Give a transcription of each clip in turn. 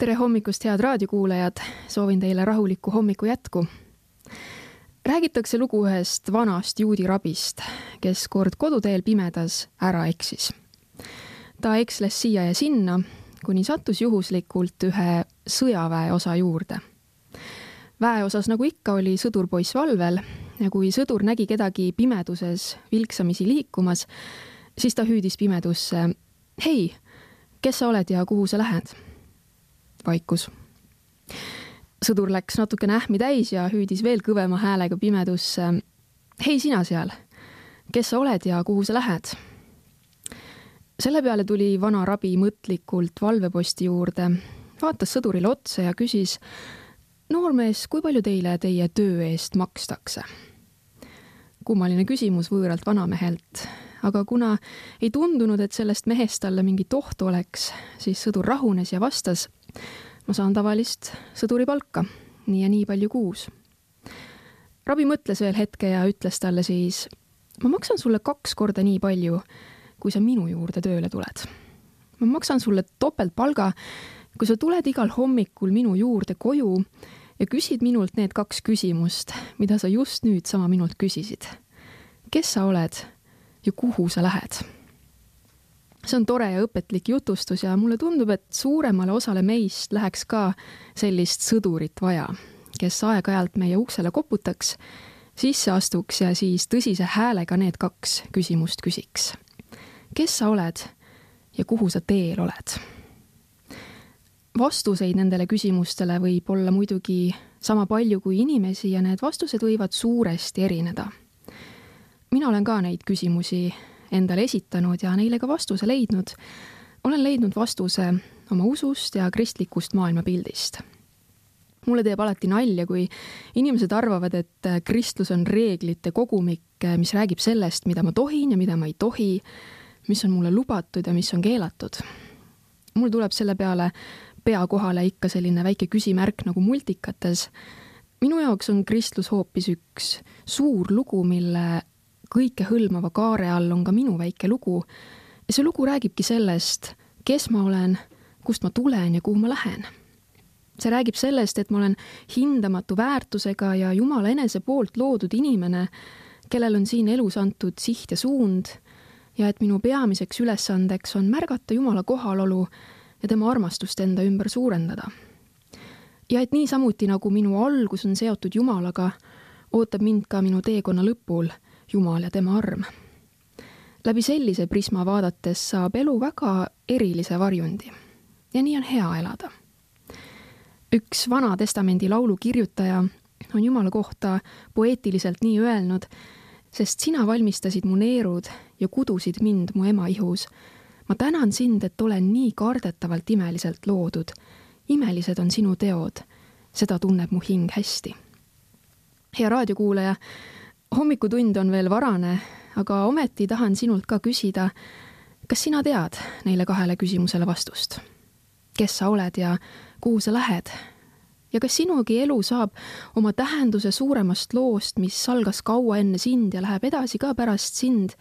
Tere hommikust, head raadiokuulajad! Soovin teile rahulikku hommiku jätku. Räägitakse lugu ühest vanast juudi rabist, kes kord koduteel pimedas ära eksis. Ta eksles siia ja sinna, kuni sattus juhuslikult ühe sõjaväe osa juurde. Väeosas nagu ikka oli sõdurpoiss valvel ja kui sõdur nägi kedagi pimeduses vilksamisi liikumas, siis ta hüüdis pimedusse: "Hei, kes sa oled ja kuhu sa lähed?" Vaikus. Sõdur läks natukene ähmi täis ja hüüdis veel kõvema häälega pimedusse: "Hei sina seal, kes sa oled ja kuhu sa lähed?" Selle peale tuli vana rabi mõtlikult valveposti juurde, vaatas sõdurile otsa ja küsis: "Noormees, kui palju teile teie töö eest makstakse?" Kummaline küsimus võõralt vanamehelt, aga kuna ei tundunud, et sellest mehest talle mingit ohtu oleks, siis sõdur rahunes ja vastas: "Ma saan tavalist sõduri palka, nii ja nii palju kuus." Rabi mõtles veel hetke ja ütles talle siis: "Ma maksan sulle 2 korda nii palju, kui sa minu juurde tööle tuled. Ma maksan sulle topeltpalga, kui sa tuled igal hommikul minu juurde koju ja küsid minult need 2 küsimust, mida sa just nüüd sama minult küsisid. Kes sa oled ja kuhu sa lähed?" See on tore ja õpetlik jutustus ja mulle tundub, et suuremale osale meist läheks ka sellist sõdurit vaja, kes aeg-ajalt meie uksele koputaks, sisse astuks ja siis tõsise häälega need 2 küsimust küsiks. Kes sa oled ja kuhu sa teel oled? Vastuseid nendele küsimustele võib olla muidugi sama palju kui inimesi ja need vastused võivad suuresti erineda. Mina olen ka neid küsimusi endale esitanud ja neile ka vastuse leidnud. Olen leidnud vastuse oma usust ja kristlikust maailmapildist. Mulle teeb alati nalja, kui inimesed arvavad, et kristlus on reeglite kogumik, mis räägib sellest, mida ma tohin ja mida ma ei tohi, mis on mulle lubatud ja mis on keelatud. Mul tuleb selle peale pea kohale ikka selline väike küsimärk nagu multikates. Minu jaoks on kristlus hoopis üks suur lugu, mille kõike hõlmava kaare all on ka minu väike lugu. Ja see lugu räägibki sellest, kes ma olen, kust ma tulen ja kuhu ma lähen. See räägib sellest, et ma olen hindamatu väärtusega ja Jumala enese poolt loodud inimene, kellel on siin elus antud siht ja suund ja et minu peamiseks ülesandeks on märgata Jumala kohalolu ja tema armastust enda ümber suurendada. Ja et nii samuti nagu minu algus on seotud Jumalaga, ootab mind ka minu teekonna lõpul Jumal ja tema arm. Läbi sellise prisma vaadates saab elu väga erilise varjundi ja nii on hea elada. Üks Vana Testamendi laulu kirjutaja on Jumala kohta poeetiliselt nii öelnud: "Sest sina valmistasid mu neerud ja kudusid mind mu ema ihus. Ma tänan sind, et olen nii kardetavalt imeliselt loodud. Imelised on sinu teod, seda tunneb mu hing hästi." Hea raadiokuulaja, hommikutund on veel varane, aga ometi tahan sinult ka küsida, kas sina tead neile 2 küsimusele vastust? Kes sa oled ja kuhu sa lähed? Ja kas sinugi elu saab oma tähenduse suuremast loost, mis algas kaua enne sind ja läheb edasi ka pärast sind?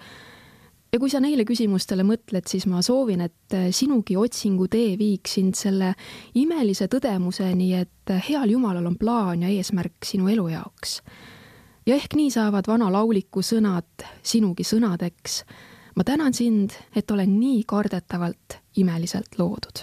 Ja kui sa neile küsimustele mõtled, siis ma soovin, et sinugi otsingu tee viiks sind selle imelise tõdemuseni, et heal Jumalal on plaan ja eesmärk sinu elu jaoks. Ja ehk nii saavad vana lauliku sõnad sinugi sõnadeks. Ma tänan sind, et olen nii kardetavalt imeliselt loodud.